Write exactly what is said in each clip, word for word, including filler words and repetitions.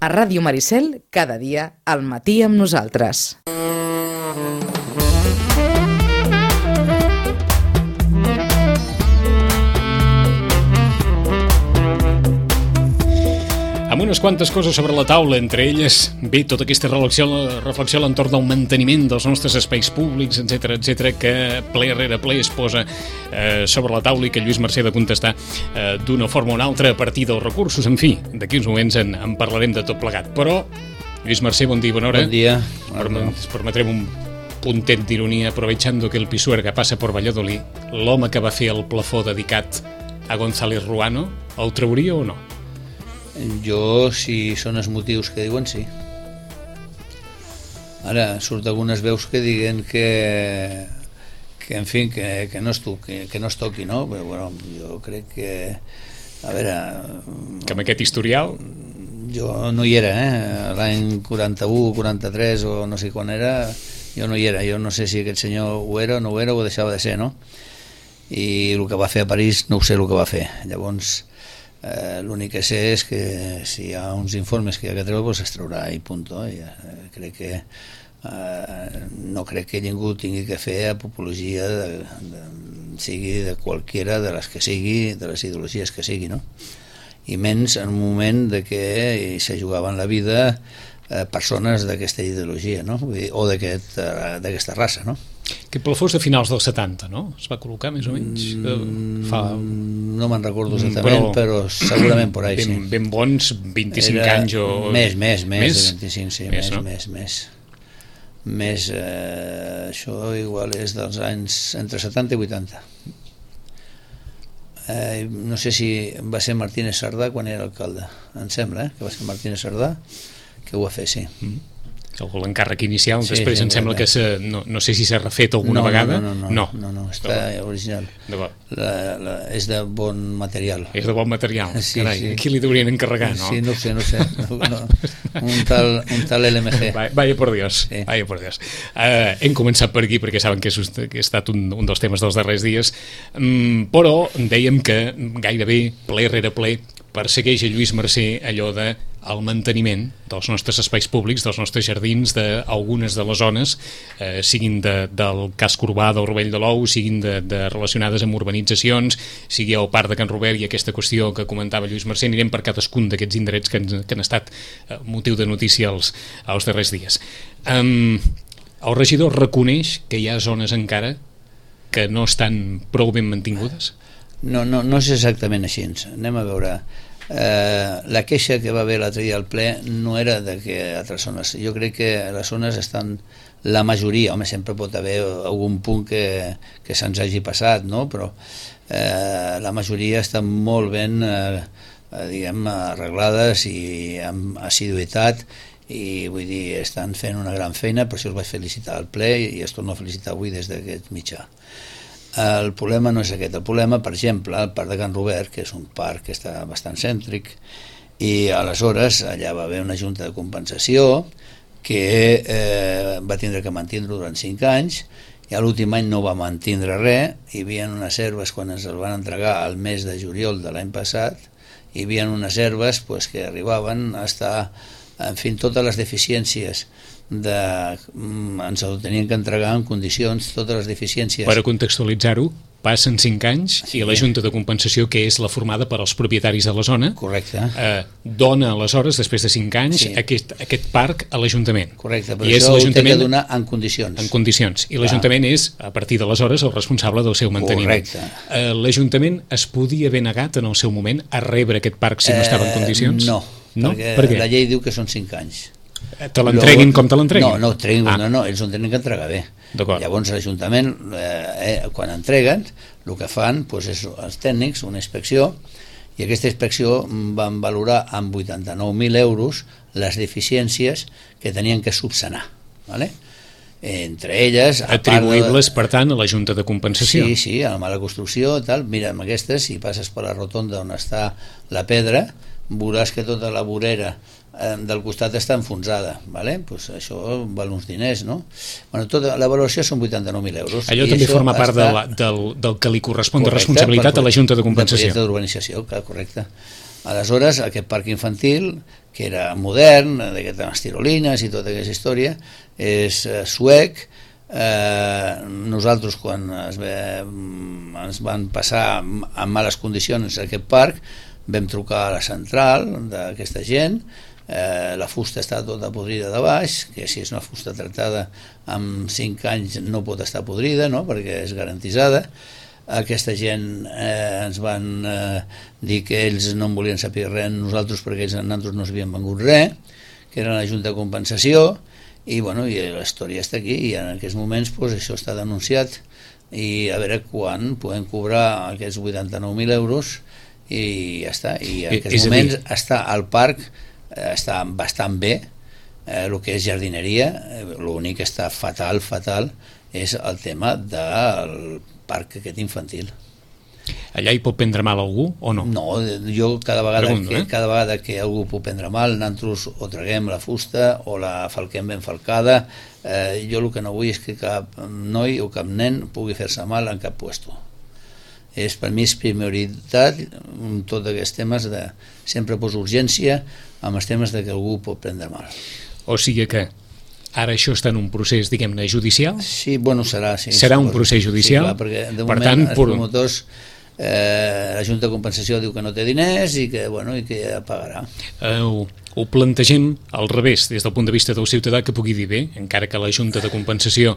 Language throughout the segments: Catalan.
A Ràdio Maricel, cada dia, al matí amb nosaltres. Amb unes quantes coses sobre la taula, entre elles, bé, tota aquesta reflexió, reflexió a l'entorn del manteniment dels nostres espais públics, etcètera, etcètera, que ple rere ple es posa eh, sobre la taula i que Lluís Mercè ha de contestar eh, d'una forma o una altra a partir dels recursos. En fi, d'aquí uns moments en, en parlarem de tot plegat. Però, Lluís Mercè, bon dia, bona hora. Bon dia. Perm permetrem un puntet d'ironia, aprovechando que el Pisuerga passa per Valladolid, l'home que va fer el plafó dedicat a González Ruano, el trauria o no? Jo, si són els motius que diuen, sí. Ara, surt algunes veus que diguen que, que en fi, que, que, no es toqui, que no es toqui, no? Però, bueno, jo crec que... A veure... Que amb aquest historial... Jo no hi era, eh? L'any quaranta-u, quaranta-tres o no sé quan era, jo no hi era. Jo no sé si aquest senyor ho era o no ho era o ho deixava de ser, no? I el que va fer a París no ho sé el que va fer. Llavors... Eh, l'únic que sé és que si hi ha uns informes que hi ha que treure, doncs es traurà i punt. I, eh, crec que eh, no crec que ningú tingui que fer apologia de, de, sigui de qualquiera de les que sigui, de les ideologies que sigui, no? I menys en un moment de que se jugaven la vida eh, persones d'aquesta ideologia, no? O d'aquesta raça, no? Aquest plafó és de finals dels setanta, no? Es va col·locar més o menys? Mm, Fa... No me'n recordo exactament, però, però segurament por ahí, ben, sí. Ben bons vint-i-cinc Era anys o... Més, més, més, més? de vint-i-cinc, sí, més, no? més, més. Més, eh, això igual és dels anys entre setanta i vuitanta. Eh, no sé si va ser Martínez Sardà quan era alcalde, em sembla, eh, que va ser Martínez Sardà, que ho va fer, sí. Mm. L'encàrrec inicial, sí, després sí, em sembla que se, no, no sé si s'ha refet alguna no, vegada. No, no, no, no, no, no, no està original. La, la, és de bon material. És de bon material, sí, carai, sí. Qui li deurien encarregar, no? Sí, no ho sé, no ho sé. No, no. Un, tal, un tal L M G. Vaya por Dios, sí. Vaya por Dios. Uh, hem començat per aquí perquè saben que, és, que ha estat un, un dels temes dels darrers dies, um, però dèiem que gairebé ple rere ple persegueix a Lluís Mercè allò de el manteniment dels nostres espais públics, dels nostres jardins, d'algunes de les zones, eh, siguin de, del casc urbà del Rovell de l'Ou, siguin de, de relacionades amb urbanitzacions, sigui el Parc de Can Robert i aquesta qüestió que comentava Lluís Mercè. Anirem per cadascun d'aquests indrets que, han, que han estat eh, motiu de notícia els, els darrers dies. Um, el regidor reconeix que hi ha zones encara que no estan prou ben mantingudes? No, no, no és exactament així. Anem a veure... Eh, la queixa que va haver l'altre dia al ple no era de que altres zones, jo crec que les zones estan, la majoria, home, sempre pot haver algun punt que, que se'ns hagi passat, no? Però eh, la majoria estan molt ben eh, diguem, arreglades i amb assiduïtat, i vull dir, estan fent una gran feina, per això els vaig felicitar al ple i els torno a felicitar avui des d'aquest mitjà. El problema no és aquest. El problema, per exemple, el Parc de Can Robert, que és un parc que està bastant cèntric, i aleshores allà va haver una junta de compensació que eh, va tindre que mantindre durant cinc anys, i a l'últim any no va mantindre res. Hi havia unes herbes, quan ens el van entregar al mes de juliol de l'any passat, hi havia unes herbes pues, que arribaven a estar, en fi, totes les deficiències de, ens ho tenien que entregar en condicions, totes les deficiències. Per a contextualitzar-ho, passen cinc anys sí. I la Junta de Compensació, que és la formada per als propietaris de la zona, correcte, eh, dona aleshores, després de cinc anys, sí. aquest, aquest parc a l'Ajuntament. Correcte, però I això ho té que donar en condicions. En condicions. I l'Ajuntament és, a partir d'aleshores, el responsable del seu manteniment. Correcte. Eh, L'Ajuntament es podia haver negat en el seu moment a rebre aquest parc si no estava en condicions? Eh, no, no, perquè per la llei diu que són cinc anys. Te l'entreguin com te l'entreguin? No, no, treguin, ah. no, no, ells ho tenen que entregar bé. Llavors l'Ajuntament, eh, quan entreguen, el que fan doncs, és els tècnics, una inspecció, i aquesta inspecció van valorar amb vuitanta-nou mil euros les deficiències que tenien que subsanar, ¿vale? Entre elles... Atribuïbles, de... per tant, a la Junta de Compensació. Sí, sí, a la mala construcció, tal. Mira, amb aquestes, si passes per la rotonda on està la pedra, veuràs que tota la vorera del costat està enfonsada, ¿vale? Pues això val uns diners, no? Bueno, tota la valoració són vuitanta-nou mil euros. Allò també forma part està... de la, del, del que li correspon correcte, de responsabilitat per, a la Junta de Compensació. De projecte d'urbanització, correcte. Aleshores, aquest parc infantil, que era modern, d'aquestes tirolines i tota aquesta història, és eh, suec. Eh, nosaltres quan es ve, ens van passar en males condicions aquest parc, vam trucar a la central d'aquesta gent. Eh, la fusta està tota podrida de baix, que si és una fusta tractada amb cinc anys no pot estar podrida, no? Perquè és garantitzada. Aquesta gent eh, ens van eh, dir que ells no en volien saber res nosaltres perquè ells nosaltres no s'havien vengut res, que era la Junta de Compensació, i, bueno, i la història està aquí, i en aquests moments pues, això està denunciat, i a veure quan podem cobrar aquests vuitanta-nou mil euros, i ja està. I en aquests moments està al parc, eh, està bastant bé, eh, el que és jardineria, eh, l'únic que està fatal, fatal, és el tema del parc aquest infantil. Allà hi pot prendre mal algú o no? No, jo cada vegada, Pregunto, que, eh? cada vegada que algú pot prendre mal, nosaltres o traguem la fusta o la falquem ben falcada. Eh, jo el que no vull és que cap noi o cap nen pugui fer-se mal en cap puesto. És, per mi és prioritat en tots aquests temes de sempre poso urgència amb els temes de que algú pot prendre mal. O sigui que ara això està en un procés, diguem-ne, judicial? Sí, bueno, serà. Sí, serà un procés judicial? Sí, clar, perquè de per moment tant, els promotors, eh, la Junta de Compensació diu que no té diners i que, bueno, i que ja pagarà. Eh, ho, ho plantegem al revés, des del punt de vista del ciutadà, que pugui dir bé, encara que la Junta de Compensació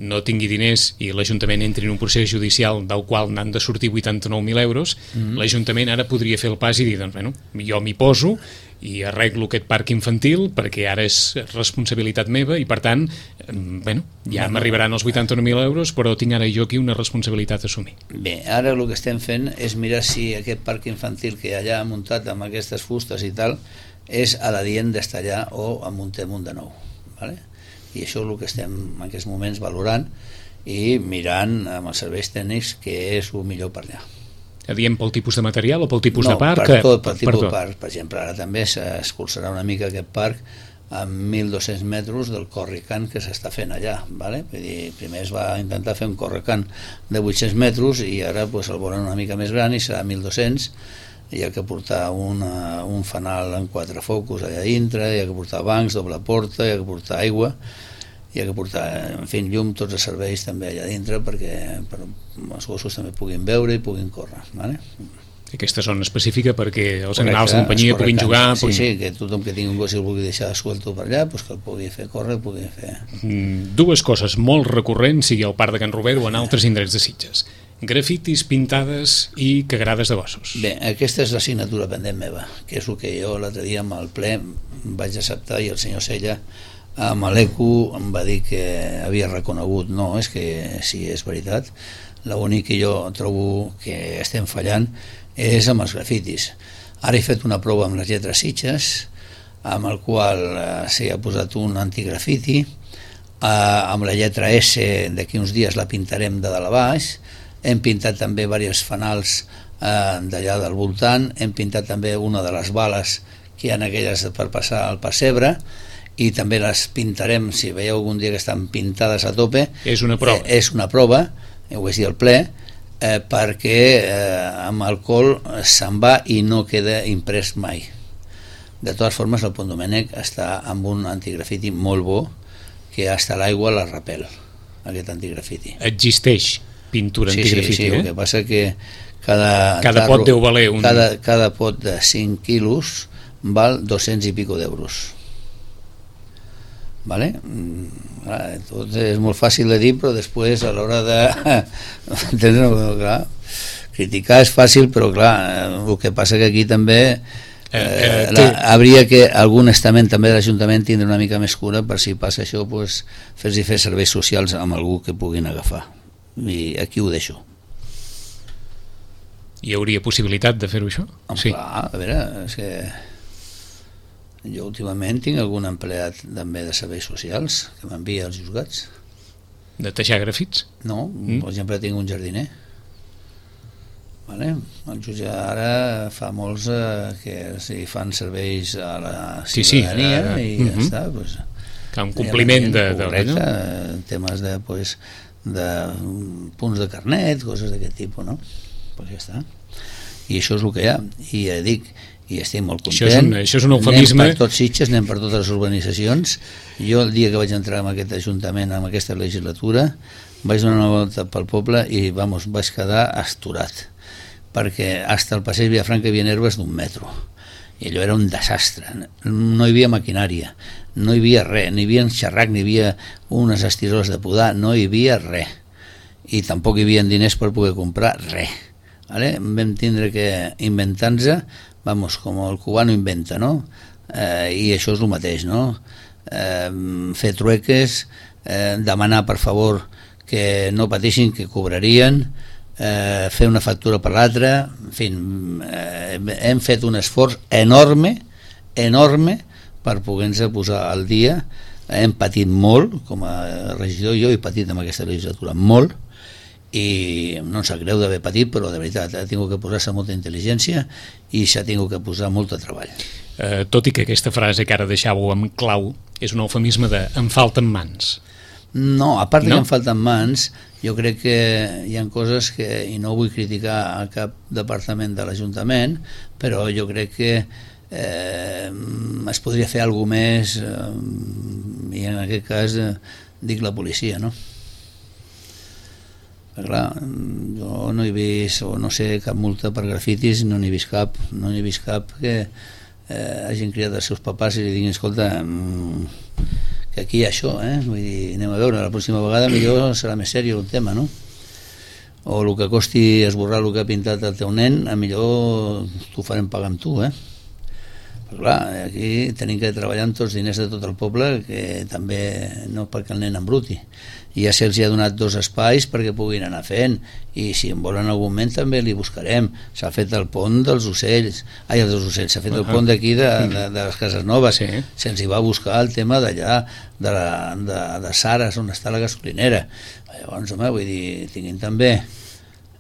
no tingui diners i l'Ajuntament entri en un procés judicial del qual n'han de sortir vuitanta-nou mil euros, mm-hmm. l'Ajuntament ara podria fer el pas i dir, doncs, bueno, jo m'hi poso i arreglo aquest parc infantil perquè ara és responsabilitat meva i, per tant, bueno, ja bueno, m'arribaran els vuitanta-nou mil euros, però tinc ara jo aquí una responsabilitat a assumir. Bé, ara el que estem fent és mirar si aquest parc infantil que allà ha muntat amb aquestes fustes i tal és adient d'estar allà o en muntem un de nou, ¿vale? I això és el que estem en aquests moments valorant i mirant amb els serveis tècnics què és el millor per allà. Adient pel tipus de material o pel tipus no, de parc? No, per tot, pel tipus per de parc. Per exemple, ara també s'escurçarà una mica aquest parc amb mil dos-cents metres del correcant que s'està fent allà, ¿vale? Vull dir, primer es va intentar fer un correcant de vuit-cents metres i ara pues, el volen una mica més gran i serà mil dos-cents. Hi ha que portar una, un fanal amb quatre focus allà dintre, hi ha que portar bancs, doble porta, hi ha que portar aigua, hi ha que portar, en fi, llum, tots els serveis també allà dintre perquè per, els gossos també puguin veure i puguin córrer, ¿vale? Aquesta zona específica perquè els animals de companyia puguin jugar... Sí, puguin... sí, que tothom que tingui un gos i el vulgui deixar suelto per allà, pues que el pugui fer córrer, el pugui fer... Mm, dues coses molt recurrents, sigui al Parc de Can Robert o en altres indrets de Sitges. Grafitis, pintades i cagarades de gossos. Bé, aquesta és l'assignatura pendent meva, que és el que jo l'altre dia amb el ple vaig acceptar i el senyor Sella amb l'ECO em va dir que havia reconegut. No, és que sí, és veritat. L'únic que jo trobo que estem fallant és amb els grafitis. Ara he fet una prova amb les lletres Sitges, amb el qual eh, s'hi ha posat un antigrafiti, eh, amb la lletra S d'aquí uns dies la pintarem de dalt a baix. Hem pintat també diversos fanals eh, d'allà del voltant, hem pintat també una de les bales que hi ha aquelles per passar al pessebre i també les pintarem, si veieu algun dia que estan pintades a tope. És una prova. Eh, és una prova, ho vaig dir al ple, eh, perquè eh, amb alcohol se'n va i no queda imprès mai. De totes formes, el Pont Domènec està amb un antigrafiti molt bo que hasta l'aigua la repel, aquest antigrafiti. Existeix pintura sí, antigrafiti, sí, sí, eh? el que passa que cada, cada tarro, pot deu valer un... cada, cada pot de cinc quilos val dos-cents i pico d'euros, vale? Clar, tot és molt fàcil de dir, però després a l'hora de clar, criticar és fàcil, però clar, el que passa que aquí també eh, eh, la, hauria que algun estament també de l'Ajuntament tindre una mica més cura per si passa això, pues, fer-hi fer serveis socials amb algú que puguin agafar. I aquí ho deixo. Hi hauria possibilitat de fer-ho això? Oh, sí. Clar, a veure, és que jo últimament tinc algun empleat també de serveis socials que m'envia als juzgats. De tejar grafits? No, mm. per exemple tinc un jardiner, vale? El jutge ara fa molts eh, que si fan serveis a la ciutadania sí, sí, uh, i ja uh-huh. està pues, que un compliment de, de, correcte, de, temes de pues, de punts de carnet, coses d'aquest tipus, no? Pues ja està. I això és el que hi ha. I ja dic, i estic molt content. Això és un, això és un eufemisme. Anem per tots Sitges, anem per totes les urbanitzacions. Jo el dia que vaig entrar en aquest ajuntament, en aquesta legislatura, vaig donar una volta pel poble i vamos, vaig quedar asturat, perquè hasta el passeig Vilafranca hi havia herbes d'un metro i allò era un desastre, no hi havia maquinària, no hi havia res, no hi havia xerrac, no hi havia unes estiroles de podar, no hi havia res i tampoc hi havia diners per poder comprar res, vale? Vam tindre que inventar-nos, vamos, com el cubano inventa, no? Eh, i això és el mateix, no? Eh, fer trueques, eh, demanar per favor que no pateixin, que cobrarien, eh, fer una factura per l'altra, en fi, eh, hem fet un esforç enorme, enorme, per poder-nos posar al dia. Hem patit molt, com a regidor, jo he patit en aquesta legislatura molt, i no em sap greu d'haver patit, però de veritat ha tingut que posar-se molta intel·ligència i s'ha tingut que posar molt de treball. Eh, tot i que aquesta frase que ara deixàveu amb clau és un eufemisme de em falten mans. No, a part no? que em falten mans, jo crec que hi ha coses que, i no vull criticar a cap departament de l'Ajuntament, però jo crec que eh, es podria fer alguna més, eh, i en aquest cas eh, dic la policia, no? Però clar, jo no he vist, o no sé, cap multa per grafitis, no n'he vist cap, no n'he vist cap que eh, hagin criat els seus papàs i li diguin, escolta, que aquí hi ha això, eh? Vull dir, anem a veure, la pròxima vegada millor serà més sèrio el tema, no? O el que costi esborrar el que ha pintat el teu nen, a millor t'ho farem pagar amb tu, eh? Però clar, aquí tenim que treballar amb tots els diners de tot el poble, que també no perquè el nen embruti. I ja se'ls ha donat dos espais perquè puguin anar fent, i si en volen algun moment també li buscarem. S'ha fet el pont dels ocells, ai, dels ocells, s'ha fet el pont d'aquí de, de, de les Cases Noves, sí. Se'ns hi va buscar el tema d'allà, de, la, de, de Sares, on està la gasolinera. Llavors, home, vull dir, tinguin també...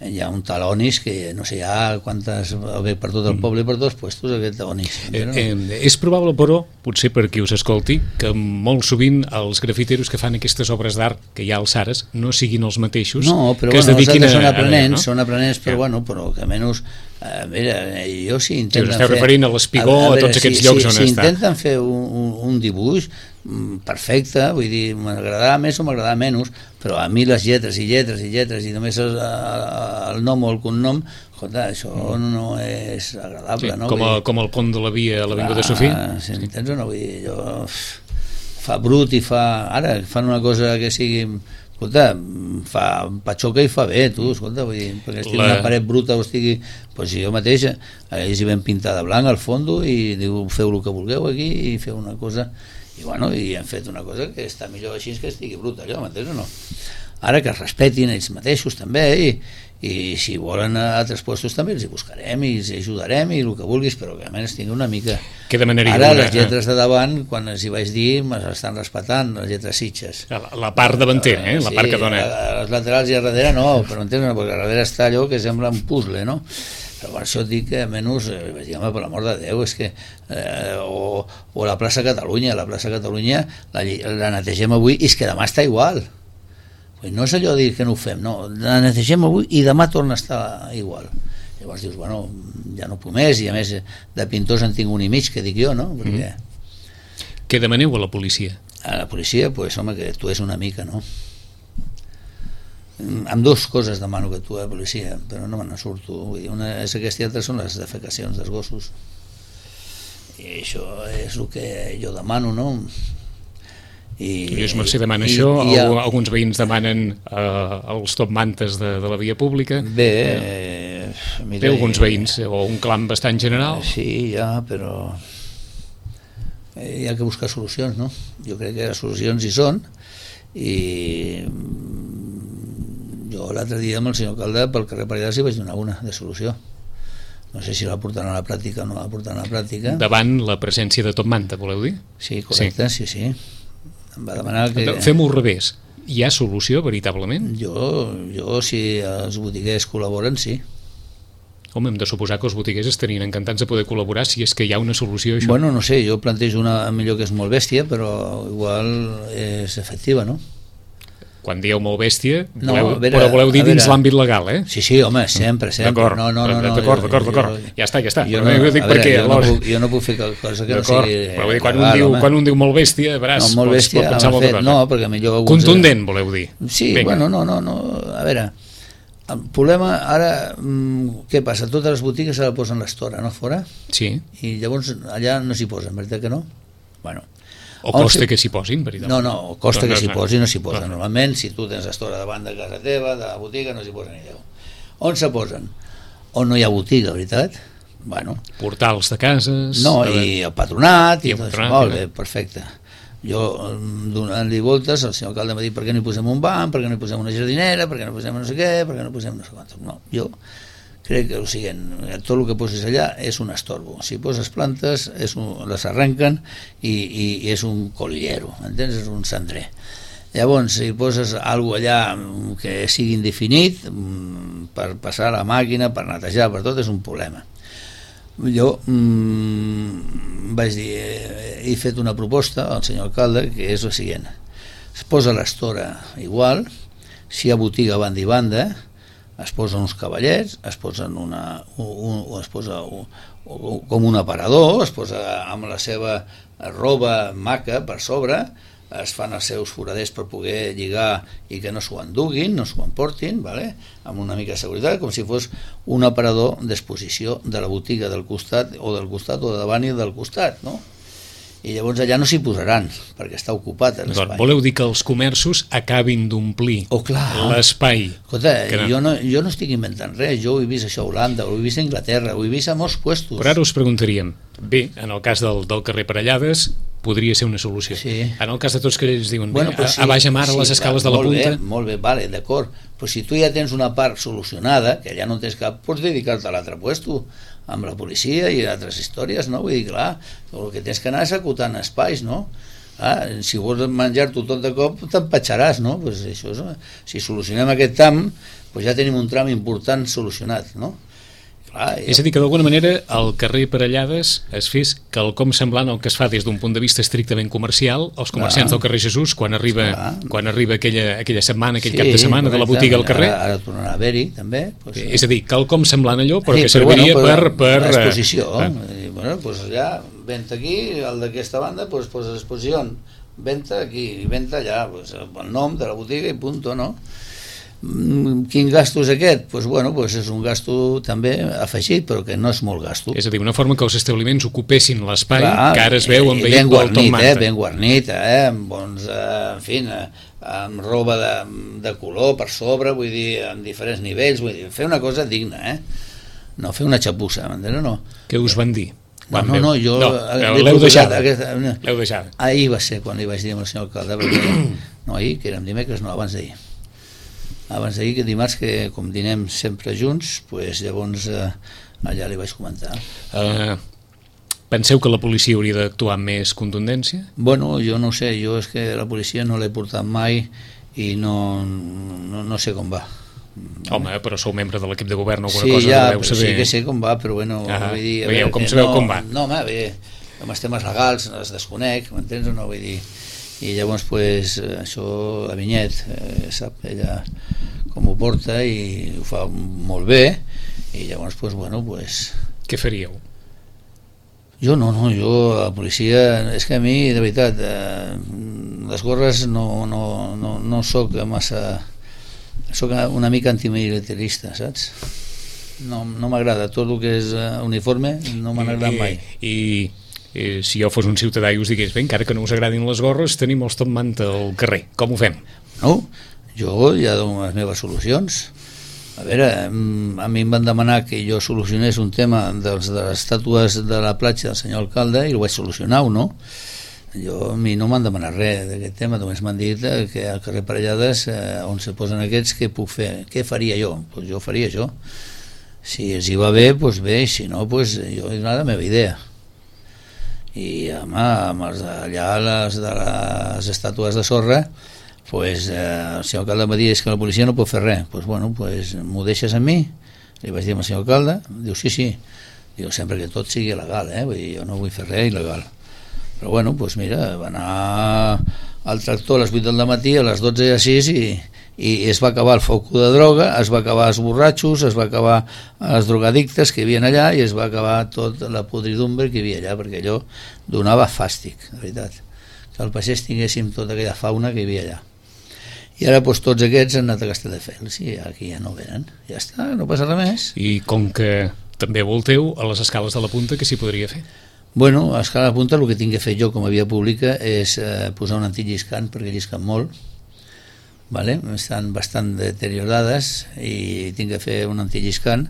Hi ha un talonis que no sé ja quantes ve per tot el poble i per tots puestos aquest talonis. Eh, eh, és probable, però, potser per qui us escolti, que molt sovint els grafiteros que fan aquestes obres d'art que hi ha als Sares no siguin els mateixos no, però que bueno, es dediquin a... són aprenents, no? són aprenents, però ja. bueno, però que almenys a veure, jo si intenten si us esteu fer... referint a l'Espigó, a, a, a tots aquests si, llocs si, on si està. Si intenten fer un, un, un dibuix perfecte, vull dir, m'agradarà més o m'agradarà menys, però a mi les lletres i lletres i lletres i només el, el nom o el cognom, escolta, això mm. no és agradable, sí, no? Com, a, com el pont de la via a l'Avinguda Sofia? Si m'entens o no? Vull dir, jo... Fa brut i fa... Ara, fan una cosa que sigui... Escolta, fa patxoca i fa bé, tu, escolta, vull dir, perquè estigui la... una paret bruta o estigui... Doncs si jo mateix, ells hi vam pintar de blanc al fondo i diu, feu el que vulgueu aquí i feu una cosa... I bueno, i hem fet una cosa que està millor així que estigui bruta, allò, m'entens o no? Ara que es respetin ells mateixos també, i, i si volen a altres puestos també els hi buscarem i els hi ajudarem i el que vulguis, però que almenys tingui una mica... Que demanaria ara una... les lletres de davant, quan els hi vaig dir, m'estan respectant, les lletres Sitges. La, la part davantera, eh? La sí, part que dona... A les laterals i a darrere no, però entens, no, perquè a darrere està allò que sembla un puzzle, no? Però per això et dic que almenys, eh, vaig dir, home, per l'amor de Déu, és que eh, o, o la plaça Catalunya, la plaça Catalunya la, la netegem avui i és que demà està igual. No és allò de dir que no ho fem, no, la netegem avui i demà torna a estar igual. Llavors dius, bueno, ja no puc més, i a més de pintors en tinc un i mig, que dic jo, no? Perquè... Mm. Què demaneu a la policia? A la policia, pues, home, que tu és una mica, no? Amb dues coses demano que tu a la policia, però no me n'en surto. Vull dir, una és aquesta i altra són les defecacions dels gossos. I això és el que jo demano, no? I, Lluís Mercè demana i, això, i ha... alguns veïns demanen eh, els top mantes de, de la via pública. Bé, eh, mira, té alguns veïns, o un clam bastant general. Sí, ja, però hi ha que buscar solucions, no? Jo crec que les solucions hi són, i jo l'altre dia amb el senyor alcalde pel carrer Paredes hi vaig donar una de solució. No sé si la portaran a la pràctica o no la portaran a la pràctica. Davant la presència de top manta, voleu dir? Sí, correcte, sí, sí. sí. Em va demanar que... Fem-ho al revés. Hi ha solució, veritablement? Jo, jo si els botiguers col·laboren, sí. Home, hem de suposar que els botiguers estarien encantats de poder col·laborar si és que hi ha una solució a això. Bueno, no sé, jo plantejo una millor que és molt bèstia, però igual és efectiva, no? quan dieu molt bèstia, No, voleu, a veure, però voleu dir a dins veure. l'àmbit legal, eh? Sí, sí, home, sempre, sempre. D'acord, no, no, no, no, d'acord, jo- d'acord, jo- d'acord. Ja està, ja està. Jo Però no, jo dic a perquè veure, jo, no alhora- puc, jo no puc fer cosa que no D'acord, sigui però vull dir, quan, legal, un diu, home. quan un diu molt bèstia, veràs, No, molt pots, bèstia, pot pensar home, molta fet, cosa. no, perquè millor alguns... Contundent, voleu dir. Sí, Vinga. bueno, no, no, no, a veure, el problema ara, mm, què passa? Totes les botigues se la posen l'estora, no, fora? Sí, I llavors allà no s'hi posen, veritat que no? Bueno, o costa que s'hi posin, veritat. no, no, costa No, que no, s'hi no. posi, no s'hi posa. No. Normalment, si tu tens l'estora davant de casa teva, de la botiga, no s'hi posa ni Déu. On se posen? On no hi ha botiga, veritat? Bueno, Portals de cases... no, de- i el patronat, I i el tot això. patronat, Molt i bé, perfecte. Jo, mm, donant-li voltes, el senyor alcalde m'ha dit per què no hi posem un banc, per què no hi posem una jardinera, per què no hi posem no sé què, per què no hi posem no sé quant. No, jo crec que, o sigui, tot el que poses allà és un estorbo. Si poses plantes, és un, les arrenquen i, i, i és un collero, entens? És un cendrer. Llavors, si poses alguna allà mm, que sigui indefinit, mm, per passar la màquina, per netejar, per tot, és un problema. Jo mm, vaig dir, eh, he fet una proposta al senyor alcalde que és la següent: es posa l'estora igual, si hi ha botiga a banda i banda, es posen uns cavallets, es posen una, un, un, es posa un, un, com un aparador, es posa amb la seva roba maca per sobre, es fan els seus foraders per poder lligar i que no s'ho enduguin, no s'ho emportin, vale? Amb una mica de seguretat, com si fos un aparador d'exposició de la botiga del costat, o del costat, o de davant i del costat, no? I llavors allà no s'hi posaran, perquè està ocupat l'espai. Voleu dir que els comerços acabin d'omplir Oh, clar. l'espai? Escolta, que no. jo no, jo no estic inventant res, jo ho he vist això a Holanda, ho he vist a Anglaterra, ho he vist a molts puestos. Però ara us preguntaríem, bé, en el cas del, del carrer Parellades podria ser una solució. Sí. En el cas de tots que ells diuen, Bueno, bé, pues a, a baix a mar, a les escales de la molt punta... Bé, molt bé, vale, d'acord. Però si tu ja tens una part solucionada, que ja no tens cap, pots dedicar-te a l'altre puesto, amb la policia i altres històries, no? Vull dir, clar, el que tens que anar és acotant espais, no? Ah, si vols menjar-t'ho tot de cop, t'empatxaràs, no? Pues això és, si solucionem aquest tram, pues ja tenim un tram important solucionat, no? Clar, És a dir, que d'alguna manera el carrer Parellades es fes quelcom semblant al que es fa des d'un punt de vista estrictament comercial, els comerciants Clar. del carrer Jesús, quan arriba, Clar. quan arriba aquella, aquella setmana, aquell Sí, cap de setmana de la correcte. botiga al carrer. Ara, ara tornarà a haver-hi, també. Pues, És a dir, quelcom semblant a allò, però sí, que serviria però, per... per l'exposició. eh, I, bueno, pues allà, venta aquí, el d'aquesta banda, pues, pues l'exposició. Venta aquí i venta allà, pues, el nom de la botiga i punto, no? Mm, Quin gasto és aquest? Pues, bueno, pues és un gasto també afegit, però que no és molt gasto. És a dir, una forma que els establiments ocupessin l'espai Clar, que ara es veu i- amb i ben vehicle al Tom guarnit, eh, Manta. ben guarnit, eh, amb bons, eh, en fi, eh, amb roba de, de color per sobre, vull dir, en diferents nivells, vull dir, fer una cosa digna, eh? No fer una xapussa, m'entens o no? Què us van dir? No, Quan no, veu- no, jo No, l'he l'heu proposat deixada. aquesta- L'heu deixada. Ahir va ser quan li vaig dir al senyor alcalde, perquè, no ahir, que érem dimecres, no, abans d'ahir. Abans d'ahir, que dimarts, que com dinem sempre junts, pues, llavors eh, allà li vaig comentar. Uh, penseu que la policia hauria d'actuar amb més contundència? Bueno, jo no ho sé, jo és que la policia no l'he portat mai i no, no, no sé com va. Home, però sou membre de l'equip de govern, alguna Sí, cosa ja, deveu però saber. sí que sé com va, però bueno, Ah, vull dir... a veieu veure, com que sabeu no, com va. No, home, bé, amb els temes legals els desconec, m'entens o no? Vull dir, i llavors, pues, això, la Vinyet, eh, sap ella com ho porta i ho fa molt bé, i llavors, pues, bueno, pues... Què faríeu? Jo no, no, jo, la policia, és que a mi, de veritat, eh, les gorres no, no, no, no soc massa... Soc una mica antimilitarista, saps? No, no m'agrada, tot el que és uh, uniforme no m'ha agradat mai. I, i, i si jo fos un ciutadà i us digués, bé, encara que no us agradin les gorres, tenim els Tom Manta al carrer, com ho fem? No, jo ja dono les meves solucions. A veure, a mi em van demanar que jo solucionés un tema dels, de les estàtues de la platja del senyor alcalde i ho vaig solucionar o no. Jo, a mi no m'han demanat res d'aquest tema, només m'han dit que al carrer Parellades, eh, on se posen aquests, què puc fer? Què faria jo? Pues jo faria això. Si els hi va bé, doncs bé, i si no, pues jo he donat la meva idea. I, home, amb els allà, les de les estàtues de sorra, pues, eh, el senyor alcalde em va dir és que la policia no pot fer res. Pues, bueno, pues, m'ho deixes a mi? Li vaig dir al senyor alcalde, diu sí, sí. Diu, sempre que tot sigui legal, eh? Vull dir, jo no vull fer res il·legal. Però bueno, doncs mira, va anar el tractor a les vuit del matí, a les dotze i a sis, i, i es va acabar el foc de droga, es va acabar els borratxos, es va acabar els drogadictes que hi havia allà, i es va acabar tota la podridumbre que hi havia allà, perquè allò donava fàstic, de veritat, que al pagès tinguéssim tota aquella fauna que hi havia allà. I ara doncs, tots aquests han anat a Castelldefels i aquí ja no venen, ja està, no passa res més. I com que també volteu, a les escales de la punta, què s'hi podria fer? Bueno, a escala de punta el que tinc que fer jo com a via pública és eh, posar un antilliscant, perquè llisquen molt, vale? Estan bastant deteriorades i tinc que fer un antilliscant,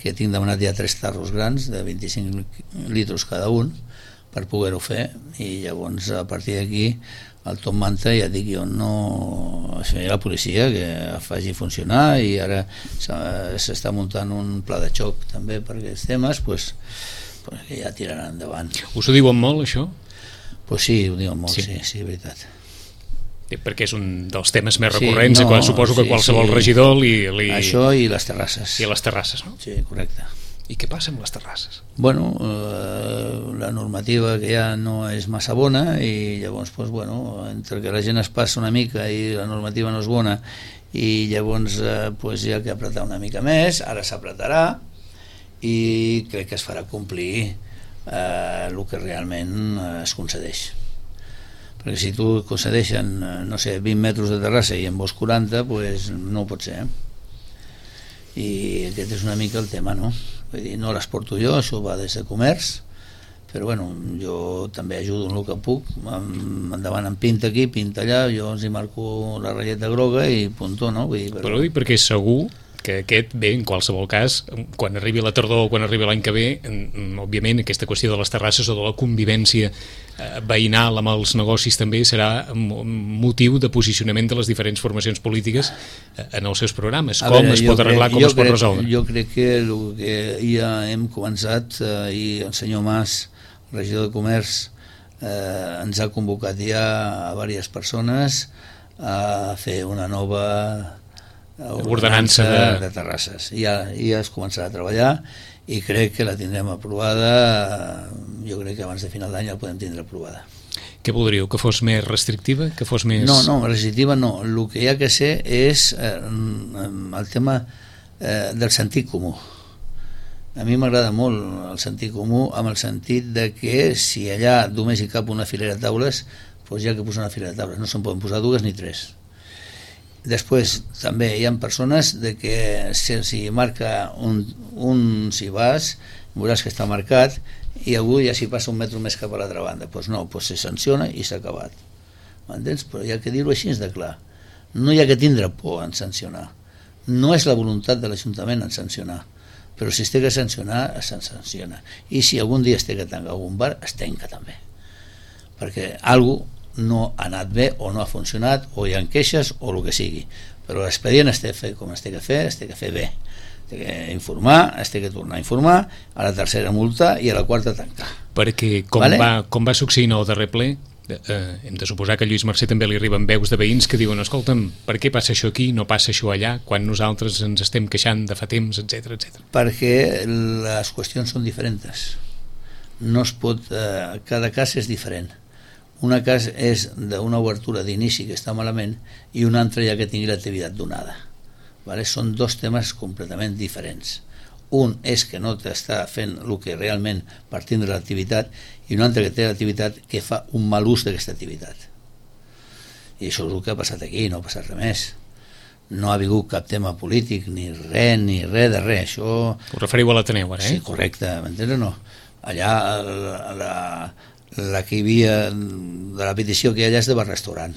que tinc demanat ja tres tarros grans de vint-i-cinc litres cada un per poder-ho fer, i llavors a partir d'aquí el Top Manta ja dic jo no... Això hi ha la policia que el faci funcionar, i ara s'està muntant un pla de xoc també per aquests temes, doncs pues que ja tiraran endavant. Us ho diuen molt, això? Pues sí, ho diuen molt, sí, sí, sí, veritat. Sí, perquè és un dels temes més recurrents, sí, no, suposo que sí, qualsevol sí. regidor li, li... Això i les terrasses. I les terrasses, no? Sí, correcte. I què passa amb les terrasses? Bueno, eh, la normativa que ja no és massa bona, i llavors, pues, bueno, entre que la gent es passa una mica i la normativa no és bona, i llavors eh, pues, hi ha que apretar una mica més, ara s'apretarà, i crec que es farà complir eh, el que realment eh, es concedeix, perquè si tu concedeixen no sé, vint metres de terrassa i en vols quaranta, pues no ho pot ser, eh? I aquest és una mica el tema, no? Vull dir, no les porto jo, això va des de comerç, però bueno, jo també ajudo en el que puc, endavant em pinta aquí, pinta allà, jo els hi marco la ratlleta groga i puntó, no? Vull dir, però... però dic perquè segur que aquest, bé, en qualsevol cas, quan arribi la tardor o quan arribi l'any que ve, òbviament aquesta qüestió de les terrasses o de la convivència veïnal amb els negocis també serà motiu de posicionament de les diferents formacions polítiques en els seus programes. Com veure, es pot arreglar, crec, com es pot crec, resoldre? Jo crec que el que ja hem començat, eh, i el senyor Mas, regidor de Comerç, eh, ens ha convocat ja a diverses persones a fer una nova ordenança de... de terrasses. Ja, ja es començarà a treballar i crec que la tindrem aprovada, jo crec que abans de final d'any la podem tindre aprovada. Què voldríeu? Que fos més restrictiva? Que fos més... No, no, restrictiva no. El que hi ha que ser és eh, el tema eh, del sentit comú. A mi m'agrada molt el sentit comú, amb el sentit de que si allà només hi cap una filera de taules, doncs hi ha que posar una filera de taules, no se'n poden posar dues ni tres. Després també hi ha persones de que si, si marca un, un si vas, veuràs que està marcat, i algú ja s'hi passa un metre més cap a l'altra banda. Doncs no, doncs se sanciona i s'ha acabat. M'entens? Però hi ha que dir-ho així de clar. No hi ha que tindre por en sancionar. No és la voluntat de l'Ajuntament en sancionar, però si es té que sancionar, es sanciona. I si algun dia es té que tancar algun bar, es tanca també. Perquè alguna no ha anat bé o no ha funcionat o hi ha queixes o el que sigui, però l'expedient es té que fer com es té que fer, es té que fer bé, es té que informar, es té que tornar a informar, a la tercera multa i a la quarta tancar. Perquè com, vale? va, com va succeir en el darrer ple, eh, hem de suposar que a Lluís Mercè també li arriben veus de veïns que diuen, escolta'm, per què passa això aquí, no passa això allà, quan nosaltres ens estem queixant de fa temps, etcètera, etcètera. Perquè les qüestions són diferents, no es pot, eh, cada cas és diferent. Una cas és d'una obertura d'inici que està malament i una altra ja que tingui l'activitat donada. Vale? Són dos temes completament diferents. Un és que no t'està fent el que realment partint de l'activitat, i un altre que té l'activitat que fa un mal ús d'aquesta activitat. I això és el que ha passat aquí, no ha passat res més. No ha vingut cap tema polític, ni res, ni res de res. Això... Us referiu a l'Ateneu, ara, eh? Sí, correcte, m'entens o no? Allà la... la la que hi havia de la petició que hi ha allà és de bar-restaurant,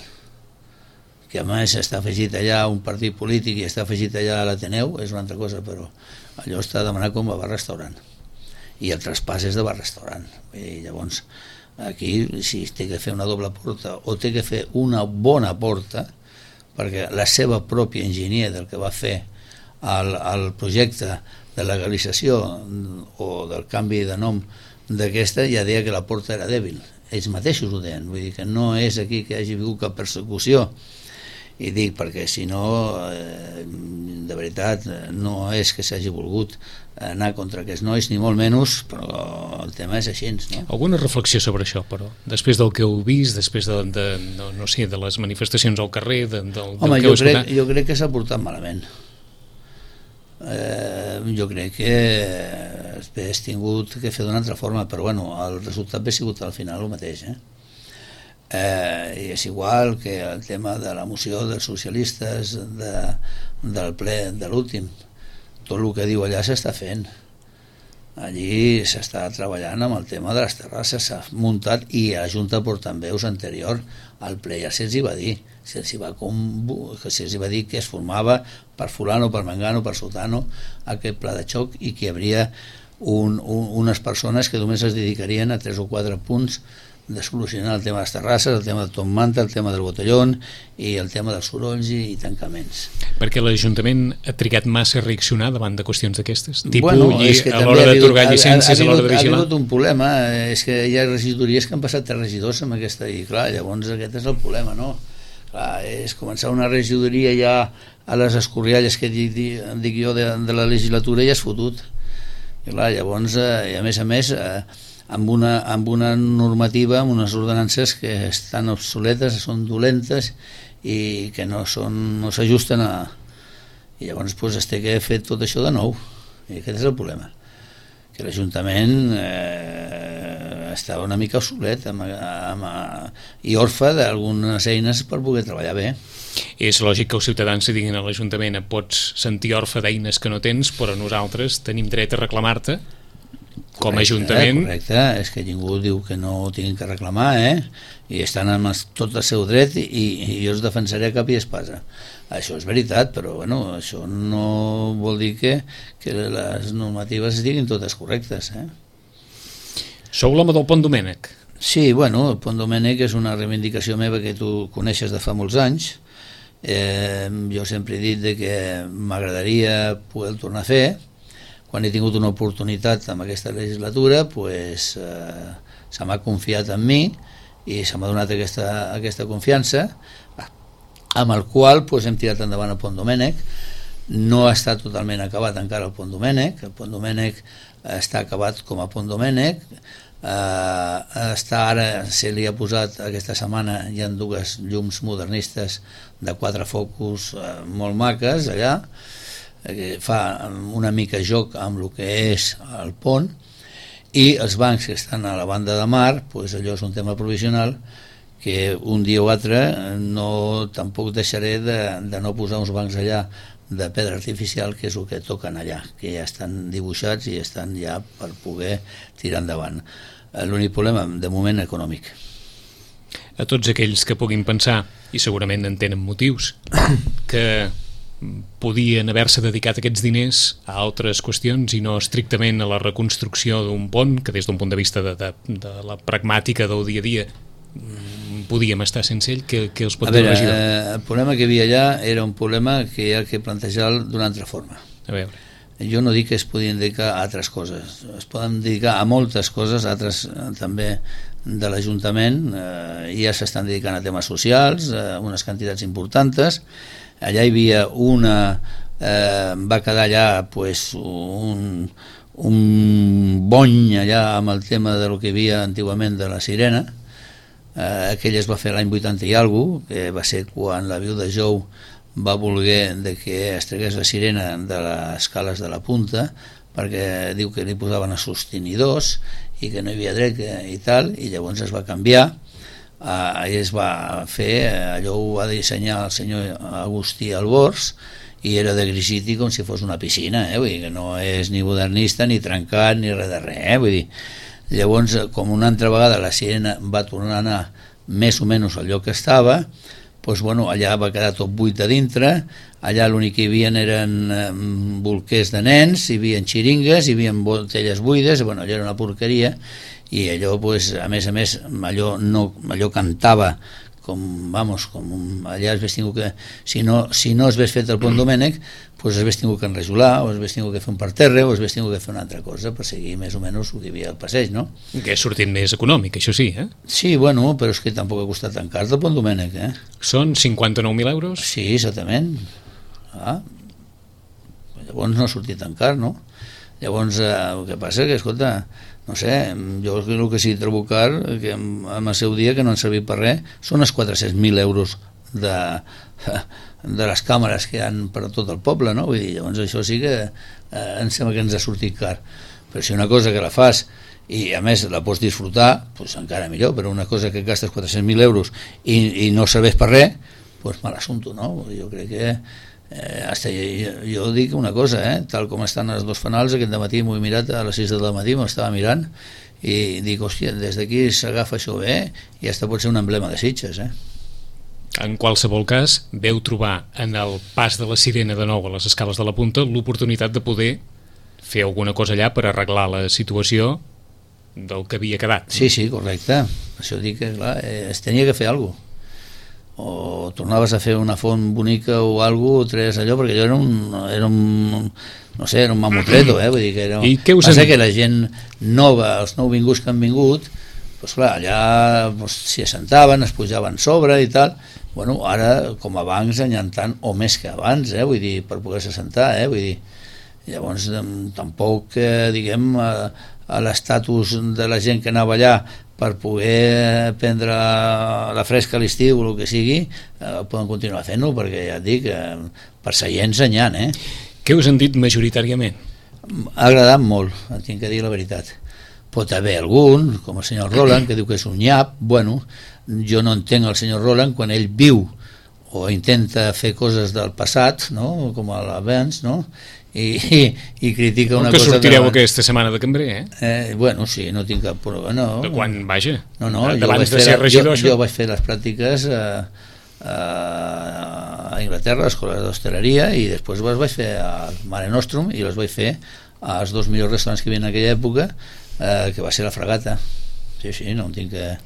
que a més està afegit allà un partit polític i està afegit allà a l'Ateneu, és una altra cosa, però allò està demanat com a bar-restaurant i el traspàs és de bar-restaurant. I llavors aquí si té que fer una doble porta o té que fer una bona porta, perquè la seva pròpia enginyer del que va fer el, el projecte de legalització o del canvi de nom d'aquesta ja deia que la porta era dèbil, ells mateixos ho deien, vull dir que no és aquí que hi hagi hagut cap persecució, i dic perquè si no eh, de veritat no és que s'hagi volgut anar contra aquests nois ni molt menys, però el tema és així, no? Alguna reflexió sobre això, però després del que heu vist, després de, de no, no sé, de les manifestacions al carrer, de, del, home, del que jo heu crec, escoltat? jo crec que s'ha portat malament. Eh, jo crec que hagués tingut que fer d'una altra forma, però bueno, el resultat ha sigut al final el mateix, eh? Eh, i és igual que el tema de la moció dels socialistes de, del ple de l'últim, tot el que diu allà s'està fent, allí s'està treballant amb el tema de les terrasses, s'ha muntat, i a la Junta Portaveus anterior al ple ja se'ls hi va dir, se'ls hi va, que se'ls hi va dir que es formava per fulano, per mengano, per sotano aquest pla de xoc, i que hi hauria un, un, unes persones que només es dedicarien a tres o quatre punts de solucionar el tema de les terrasses, el tema del Tom Manta, el tema del botellón i el tema dels sorolls i, i tancaments. Perquè l'Ajuntament ha trigat massa a reaccionar davant de qüestions d'aquestes? Tipus, bueno, és que a l'hora d'atorgar llicències, ha, ha, a l'hora de vigilar? Ha hagut un problema, és que hi ha regidories que han passat tres regidors amb aquesta, i clar, llavors aquest és el problema, no? Clar, és començar una regidoria ja a les escorrialles que dic, dic jo de, de la legislatura ja és fotut. I clar, llavors, eh, i a més a més, eh, amb una, amb una normativa, amb unes ordenances que estan obsoletes, són dolentes i que no són, no s'ajusten a... I llavors pues, es té que fer tot això de nou, i aquest és el problema, que l'Ajuntament eh, estava una mica obsolet amb, amb, i orfe d'algunes eines per poder treballar bé. És lògic que els ciutadans se diguin a l'Ajuntament pots sentir orfe d'eines que no tens, però nosaltres tenim dret a reclamar-te com a Ajuntament. Correcte, és que ningú diu que no ho tinguin que reclamar, eh? I estan amb tot el seu dret i, i jo els defensaré a cap i espasa. Això és veritat, però bueno, això no vol dir que, que les normatives estiguin totes correctes, eh? Sou l'home del Pont Domènec? Sí, bueno, el Pont Domènec és una reivindicació meva que tu coneixes de fa molts anys. Eh, jo sempre he dit de que m'agradaria poder tornar a fer. Quan he tingut una oportunitat amb aquesta legislatura, pues, eh, se m'ha confiat en mi i se m'ha donat aquesta, aquesta confiança, amb el qual pues, hem tirat endavant el Pont Domènec. No està totalment acabat encara el Pont Domènec, el Pont Domènec està acabat com a Pont Domènec, eh, està ara, se li ha posat aquesta setmana, hi ha dues llums modernistes de quatre focus eh, molt maques allà, que fa una mica joc amb el que és el pont, i els bancs que estan a la banda de mar, pues allò és un tema provisional que un dia o altre no, tampoc deixaré de, de no posar uns bancs allà de pedra artificial, que és el que toquen allà, que ja estan dibuixats i estan ja per poder tirar endavant. L'únic problema, de moment, econòmic. A tots aquells que puguin pensar, i segurament en tenen motius, que podien haver-se dedicat aquests diners a altres qüestions i no estrictament a la reconstrucció d'un pont, que des d'un punt de vista de, de, de la pragmàtica del dia a dia podíem estar sense ell, que, que els pot dir el regidor? Eh, el problema que hi havia allà era un problema que hi ha que plantejar d'una altra forma. A veure. Jo no dic que es podien dedicar a altres coses, es poden dedicar a moltes coses, altres eh, també de l'Ajuntament, eh, ja s'estan dedicant a temes socials, eh, unes quantitats importants. Allà hi havia una, eh, va quedar allà pues, un, un bony allà amb el tema de lo que hi havia antigament de la sirena, eh, aquell es va fer l'any vuitanta i alguna cosa, que va ser quan la viuda Jou va voler de que es tregués la sirena de les cales de la punta, perquè diu que li posaven a sostenidors i que no hi havia dret i tal, i llavors es va canviar. Uh, es va fer, allò ho va dissenyar el senyor Agustí Albors i era de grisiti com si fos una piscina, eh? Vull dir que no és ni modernista ni trencat ni res de res, eh? Vull dir, llavors com una altra vegada la sirena va tornar a anar més o menys al lloc que estava, doncs, bueno, allà va quedar tot buit de dintre, allà l'únic que hi havia eren eh, bolquers de nens, hi havia xiringues, hi havia botelles buides, bueno, allò era una porqueria, i allò, pues, a més a més, allò, no, allò cantava com, vamos, com allà es hagués tingut que, si no, si no es hagués fet el Pont Domènec, pues es hagués tingut que enrajolar, o es hagués tingut que fer un parterre, o es hagués tingut que fer una altra cosa per seguir més o menys el que hi havia al passeig, no? Que ha sortit més econòmic, això sí, eh? Sí, bueno, però és que tampoc ha costat tan car el Pont Domènec, eh? Són cinquanta-nou mil euros? Sí, exactament. Ah, llavors no ha sortit tan car, no? Llavors, eh, el que passa és que, escolta, no sé, jo el que sí trobo car, que en el seu dia que no han servit per res, són els quatre-cents mil euros de, de les càmeres que hi ha per a tot el poble, no? Vull dir, llavors això sí que eh, em sembla que ens ha sortit car. Però si una cosa que la fas i a més la pots disfrutar, doncs encara millor, però una cosa que gastes quatre-cents mil euros i, i no serveix per res, doncs mal assumpte, no? Jo crec que Eh, hasta jo, jo dic una cosa, eh? Tal com estan els dos fanals, aquest matí m'ho he mirat a les sis del matí, m'estava mirant i dic, hòstia, des d'aquí s'agafa això bé i hasta pot ser un emblema de Sitges, eh? En qualsevol cas, veu trobar en el pas de la Sirena de nou a les escales de la Punta l'oportunitat de poder fer alguna cosa allà per arreglar la situació del que havia quedat. Sí, sí, correcte. Això dic que, clar, eh, es tenia que fer alguna cosa. O tornaves a fer una font bonica o alguna cosa, o tres allò, perquè allò era un, era un no sé, era un mamotreto, eh? Vull dir que era... I què us passa han... que la gent nova, els nouvinguts que han vingut, doncs clar, allà doncs, s'hi assentaven, es pujaven sobre i tal. Bueno, ara, com abans, n'hi ha tant o més que abans, eh? Vull dir, per poder-se assentar, eh? Vull dir, llavors tampoc, eh, diguem, a, a l'estatus de la gent que anava allà per poder prendre la fresca a l'estiu o el que sigui, eh, poden continuar fent-ho, perquè ja et dic, eh, per seients n'hi ha, eh? Què us han dit majoritàriament? Ha agradat molt, tinc que dir la veritat. Pot haver algun, com el senyor Roland, que diu que és un nyap. Bueno, jo no entenc el senyor Roland quan ell viu o intenta fer coses del passat, no? Com l'abans, no? I, i, i critica una que cosa... Que sortireu de... aquesta setmana de cambrer, eh? eh? Bueno, sí, no tinc cap problema. No. De quan, vaja? No, no, abans de ser regidor, jo, jo vaig fer les pràctiques a, a, a Inglaterra, a l'escola d'hostaleria, i després les vaig fer al Mare Nostrum i les vaig fer als dos millors restaurants que hi havia en aquella època, eh, que va ser la Fragata. Sí, sí, no en tinc que...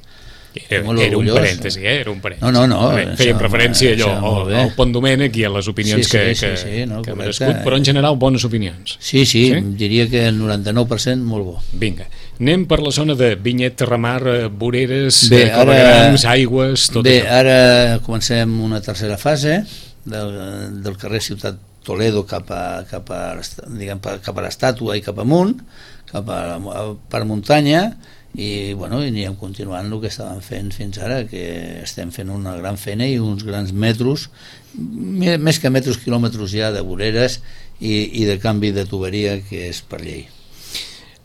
Era, era un parèntesi, eh? Era un parèntesi. No, no, no. Fèiem referència allò al, al Pont Domènec i a les opinions sí, sí, que, sí, que, sí, no, que ha merescut, però en general bones opinions. Sí, sí, sí, diria que el noranta-nou per cent molt bo. Vinga, anem per la zona de Vinyet, Terramar, Voreres, bé, Clavegrams, Aigües, tot bé, això. Bé, ara comencem una tercera fase del, del carrer Ciutat Toledo cap a, cap a, diguem, cap a l'estàtua i cap amunt, cap a, per muntanya, i bueno, i anirem continuant el que estàvem fent fins ara, que estem fent una gran feina i uns grans metros, més que metros, quilòmetres ja de voreres i, i de canvi de tuberia, que és per llei.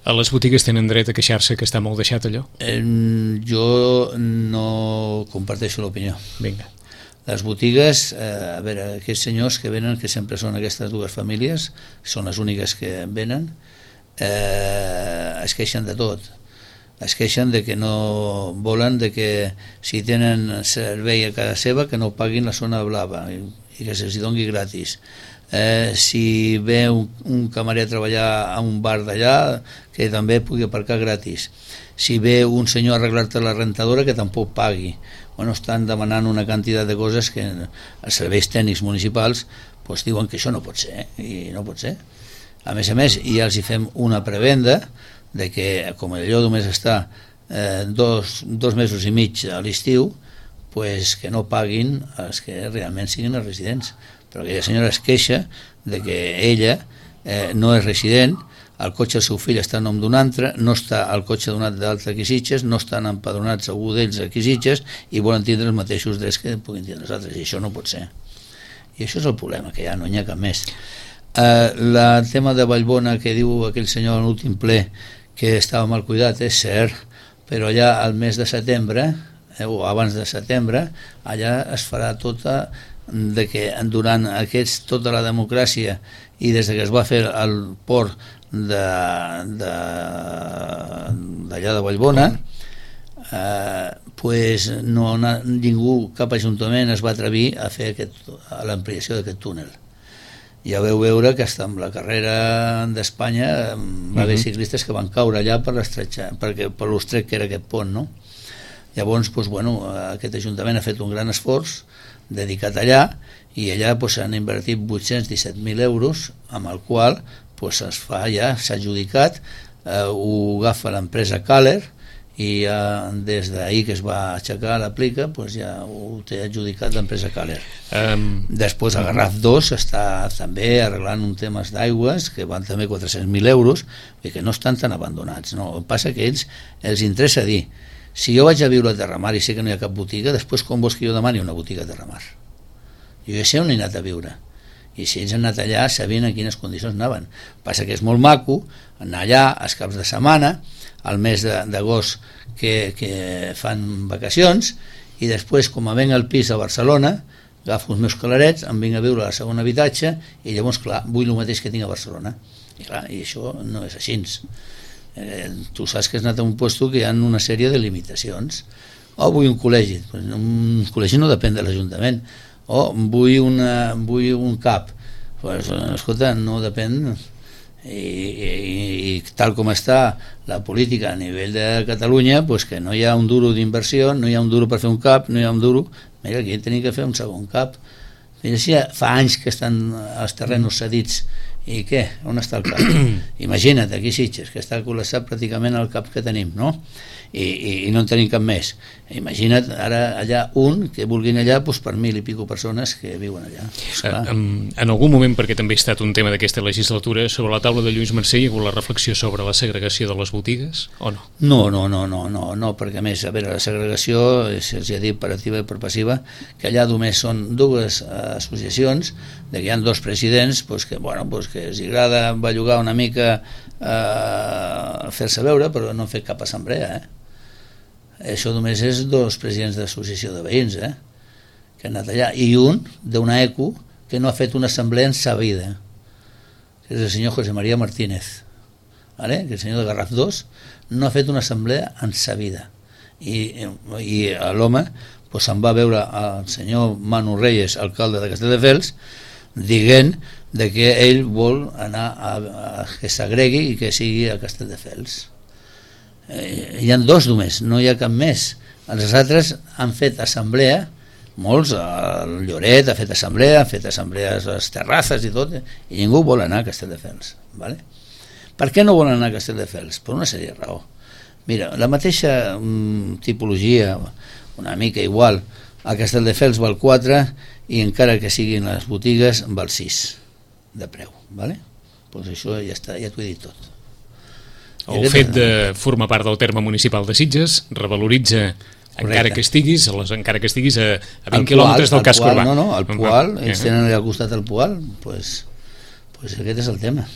A les botigues tenen dret a queixar-se que està molt deixat allò? Eh, jo no comparteixo l'opinió. Vinga. Les botigues, eh, a veure, aquests senyors que venen, que sempre són aquestes dues famílies, són les úniques que venen, eh, es queixen de tot. Es queixen de que no volen, de que si tenen servei a casa seva que no paguin la zona blava i, i que se'ls doni gratis. Eh, si ve un, un camarer a treballar a un bar d'allà, que també pugui aparcar gratis. Si ve un senyor a arreglar-te la rentadora, que tampoc pagui. Bueno, estan demanant una quantitat de coses que els serveis tècnics municipals pues, diuen que això no pot ser, eh? I no pot ser. A més a més, ja els hi fem una prebenda de que, com allò només està eh, dos, dos mesos i mig a l'estiu, pues que no paguin els que realment siguin els residents. Però aquella senyora es queixa de que ella eh, no és resident, el cotxe del seu fill està en nom d'un altre, no està el cotxe donat d'altre aquí Sitges, no estan empadronats algú d'ells aquí Sitges i volen tindre els mateixos drets que puguin tindre els altres, i això no pot ser. I això és el problema, que ja no n'hi ha cap més. Eh, el tema de Vallbona que diu aquell senyor en l'últim ple que estava mal cuidat, és cert, però allà al mes de setembre, eh, o abans de setembre, allà es farà tota, de que durant aquests, tota la democràcia i des que es va fer el port d'allà de, de, de Vallbona, eh, pues no, ningú, cap ajuntament es va atrevir a fer aquest, a l'ampliació d'aquest túnel. Ja veu veure que hasta amb la carrera d'Espanya va haver ciclistes que van caure allà per l'estretxa, perquè per l'estret que era aquest pont, no? Llavors, doncs, bueno, aquest Ajuntament ha fet un gran esforç dedicat allà, i allà doncs, han invertit vuit-cents disset mil euros, amb el qual doncs, es fa ja, s'ha adjudicat, eh, ho agafa l'empresa Caller, i ja, des d'ahir que es va aixecar l'aplica, doncs ja ho té adjudicat l'empresa Caller. Um, Després a Garraf dos està també arreglant un temes d'aigües que van també quatre-cents mil euros, i que no estan tan abandonats, no? El que passa que ells els interessa dir, si jo vaig a viure a Terramar i sé que no hi ha cap botiga, després com vols que jo demani una botiga a Terramar? Jo ja sé on he anat a viure, i si ells han anat allà sabien en quines condicions anaven. Passa que és molt maco anar allà els caps de setmana, al mes d'agost que, que fan vacacions, i després, com a venc al pis a Barcelona, agafo els meus calarets, em vinc a viure al segon habitatge, i llavors, clar, vull el mateix que tinc a Barcelona. I clar, i això no és així. Eh, tu saps que has anat a un lloc que hi ha una sèrie de limitacions. O vull un col·legi. Un col·legi no depèn de l'Ajuntament. O vull, una, vull un cap. Pues, escolta, no depèn... I, i, i tal com està la política a nivell de Catalunya, pues que no hi ha un duro d'inversió, no hi ha un duro per fer un cap, no hi ha un duro, mira, aquí tenim que fer un segon cap. Mira, si fa anys que estan els terrenos cedits, i què? On està el cap? Imagina't, aquí Sitges, que està col·lapsat pràcticament el cap que tenim, no? I, i, i no en tenim cap més. Imagina't ara allà un que vulguin allà doncs, per mil i pico persones que viuen allà. Eh, en algun moment, perquè també ha estat un tema d'aquesta legislatura, sobre la taula de Lluís Mercè hi ha hagut la reflexió sobre la segregació de les botigues, o no? No, no, no, no, no, no, perquè a més, a veure, la segregació, se'ls ha dit per activa i per passiva, que allà només són dues associacions, de que hi ha dos presidents doncs que, bueno, doncs que els agrada bellugar una mica, eh, fer-se veure, però no han fet cap assemblea, eh? Això només és dos presidents d'associació de veïns, eh? Que han anat allà, i un d'una ECO que no ha fet una assemblea en sa vida, que és el senyor José María Martínez, ¿vale? Que el senyor de Garraf dos no ha fet una assemblea en sa vida, i, i l'home pues, se'n va veure al senyor Manu Reyes, alcalde de Castelldefels, dient de que ell vol anar a, a que s'agregui i que sigui a Castelldefels. Eh, hi ha dos només, no hi ha cap més. Els altres han fet assemblea, molts, el Lloret ha fet assemblea, han fet assemblees a les terrasses i tot, i ningú vol anar a Castelldefels, ¿vale? Per què no volen anar a Castelldefels? Per una sèrie de raó. Mira, la mateixa mm, tipologia, una mica igual, a Castelldefels val quatre i encara que siguin les botigues val sis de preu, ¿vale? Pues això ja està, ja t'ho he dit tot. El fet de formar part del terme municipal de Sitges revaloritza, encara que estiguis, encara que estiguis a, a vint quilòmetres del casc urbà. No, no, el Poal, ells tenen allà al costat el Poal, pues, pues aquest és el tema.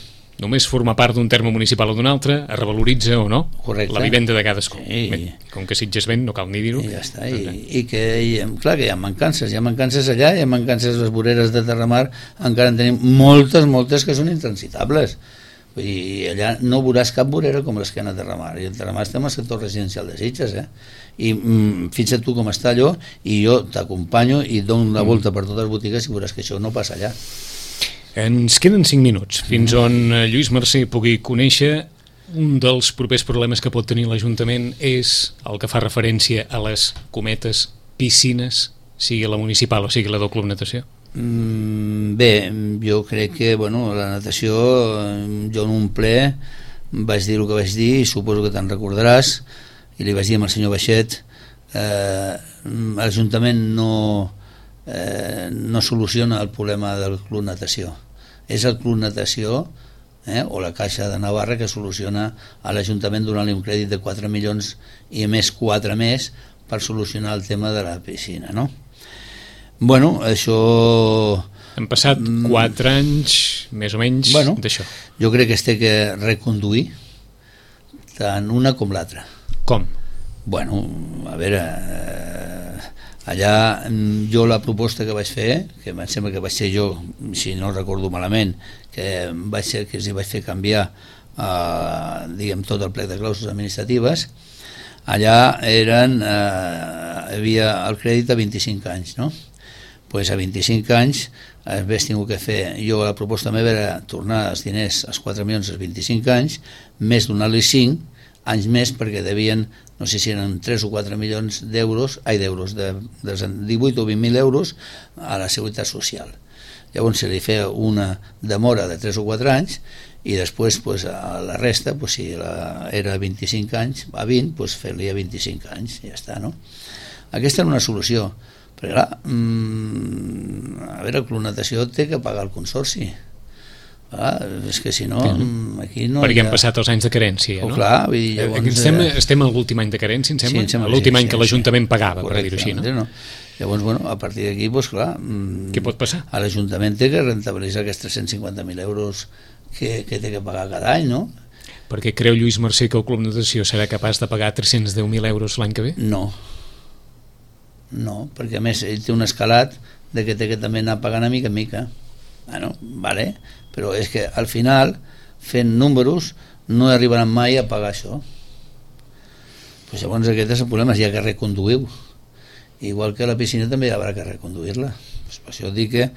Només formar part d'un terme municipal o d'un altre es revaloritza o no. Correcte. La vivenda de cadascú. Sí. Bé, com que Sitges ven, no cal ni dir-ho. I ja està, i, i que i, clar que hi ha mancances, hi ha mancances allà, hi ha mancances a les voreres de Terramar, encara en tenim moltes, moltes que són intransitables. Vull dir, allà no veuràs cap vorera com les que han a Terramar, i el Terramar estem al sector residencial de Sitges, eh? I mm, fixa't tu com està allò, i jo t'acompanyo i dono una volta per totes les botigues i veuràs que això no passa allà. Ens queden cinc minuts fins on Lluís Mercè pugui conèixer. Un dels propers problemes que pot tenir l'Ajuntament és el que fa referència a les cometes piscines, sigui la municipal o sigui la del Club Natació. Mm, bé, jo crec que bueno, la natació, jo en un ple vaig dir el que vaig dir i suposo que te'n recordaràs, i li vaig dir al senyor Baixet, eh, l'Ajuntament no Eh, no soluciona el problema del Club Natació, és el Club Natació eh, o la Caixa de Navarra que soluciona a l'Ajuntament donant-li un crèdit de quatre milions i a més quatre més per solucionar el tema de la piscina, no? Bueno, això... Han passat quatre anys més o menys bueno, d'això. Jo crec que es té que reconduir tant una com l'altra. Com? Bueno, a veure... Eh, allà jo la proposta que vaig fer, que em sembla que vaig ser jo, si no recordo malament, que vaig ser que els hi vaig fer canviar eh, diguem tot el plec de clàusules administratives, allà eren eh, hi havia el crèdit a vint-i-cinc anys, no? Pues a vint-i-cinc anys hagués tingut que fer, jo la proposta meva era tornar els diners, els quatre milions als vint-i-cinc anys, més donar-li cinc anys més perquè devien, no sé si eren tres o quatre milions d'euros, ai d'euros, de, de divuit o vint mil euros a la Seguretat Social. Llavors se li feia una demora de tres o quatre anys i després pues, a la resta, pues, si la, era vint-i-cinc anys, a vint, pues, fer-li a vint-i-cinc anys, i ja està, no? Aquesta era una solució, però clar, mmm, a veure, clonatació té que pagar el consorci. Ah, és que si no, aquí no perquè hi ha... han passat els anys de carència, oh, no? Clar, vull dir, llavors... Estem, estem a l'últim any de carència, em sembla? Sí, em sembla l'últim sí, any sí, que l'Ajuntament sí. pagava, Correcte, per dir-ho així, no? no? Llavors, bueno, a partir d'aquí, doncs clar... Què pot passar? A l'Ajuntament té que rentabilitzar aquests tres-cents cinquanta mil euros que, que té que pagar cada any, no? Perquè creu Lluís Mercè que el Club Natació serà capaç de pagar tres-cents deu mil euros l'any que ve? No. No, perquè a més ell té un escalat de que té que també anar pagant a mica en mica. Bueno, vale, però és que al final, fent números, no arribaran mai a pagar això. Pues llavors aquest és el problema, hi ha que reconduir-ho. Igual que a la piscina també hi haurà que reconduir-la. Pues per això dic que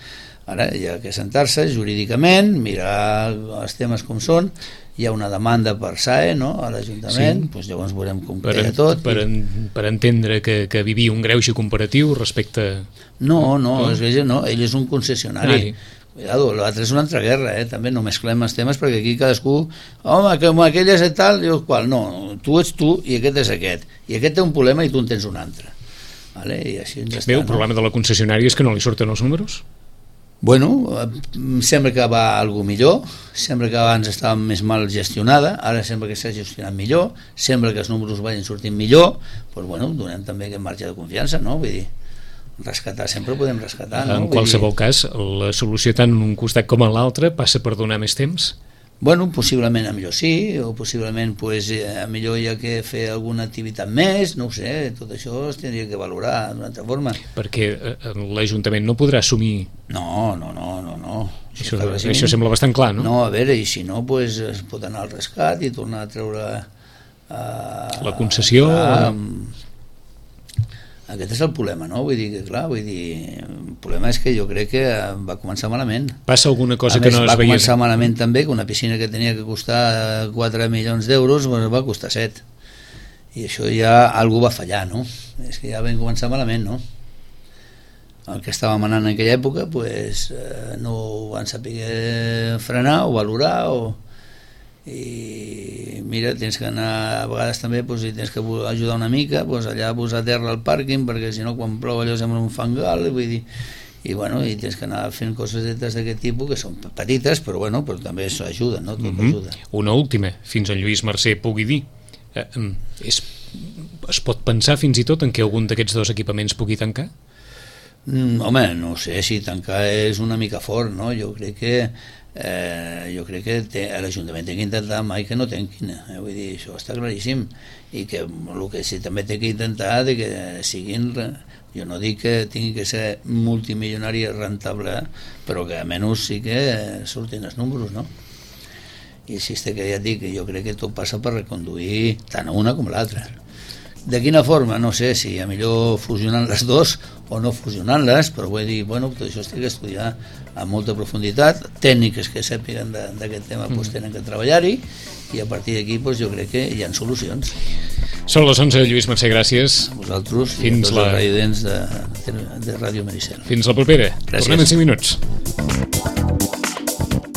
ara hi ha que sentar-se jurídicament, mirar els temes com són, hi ha una demanda per S A E, no?, a l'Ajuntament, sí. Pues llavors veurem com per queda tot. Per, en, per entendre que, que vivia un greuge comparatiu respecte... No, no, no. És, no, ell és un concessionari. Ah, cuidado, l'altre és una altra guerra, eh? També no mesclem els temes perquè aquí cadascú, home, que aquell és tal, i qual, no, tu ets tu i aquest és aquest, i aquest té un problema i tu en tens un altre, vale? I així ens està. Bé, el problema no? de la concessionària és que no li surten els números? Bueno, sembla que va algú millor, sembla que abans estava més mal gestionada, ara sembla que s'ha gestionat millor, sembla que els números vagin sortint millor, doncs bueno, donem també aquest marge de confiança, no? Vull dir, rescatar sempre podem rescatar, no? En qualsevol cas, la solució tant en un costat com en l'altre passa per donar més temps? Bueno, possiblement a millor sí, o possiblement pues, a millor hi ha que fer alguna activitat més, no ho sé, tot això es tindria que valorar d'una altra forma. Perquè l'Ajuntament no podrà assumir... No, no, no, no, no. Això, això, això sembla bastant clar, no? No, a veure, i si no, pues, es pot anar al rescat i tornar a treure... Uh, la concessió... Uh, aquest és el problema, no? Vull dir que, clar, vull dir, el problema és que jo crec que va començar malament. Passa alguna cosa a que més, no es va veia... Va començar malament també, que una piscina que tenia que costar quatre milions d'euros va costar set. I això ja algú va fallar, no? És que ja vam començar malament, no? El que estava manant en aquella època, pues, eh, no ho van saber frenar o valorar o... i mira, tens que anar a vegades també, pues, si tens que ajudar una mica, pues, allà posar terra al pàrquing perquè si no quan plou allò sembla un fangal, vull dir, i bueno, i tens que anar fent coses d'aquest tipus que són petites però bueno, però també això ajuda, no? Tot mm-hmm. ajuda. Una última, fins en Lluís Mercè pugui dir, eh, és, es pot pensar fins i tot en que algun d'aquests dos equipaments pugui tancar? Mm, home, no sé si tancar és una mica fort, no? Jo crec que Eh, jo crec que té, l'Ajuntament té que intentar mai que no tanquin, eh? Vull dir, això està claríssim, i que el que sí també té que intentar de que siguin, jo no dic que tingui que ser multimilionari rentable, però que almenys sí que surtin els números, no? I si és que ja et dic que jo crec que tot passa per reconduir tant una com l'altra. De quina forma? No sé, si a millor fusionant les dos o no fusionant-les, però vull dir, bueno, tot això es té que estudiar amb molta profunditat, tècniques que sàpiguen d'aquest tema doncs, tenen que treballar-hi, i a partir d'aquí doncs, jo crec que hi ha solucions. Són les onze, Lluís Mercè, gràcies. A vosaltres fins i a tots la... els residents de, de, de Ràdio Maricel. Fins la propera. Gràcies. Tornem en cinc minuts.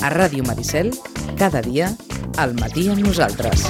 A Ràdio Maricel, cada dia, al matí amb nosaltres.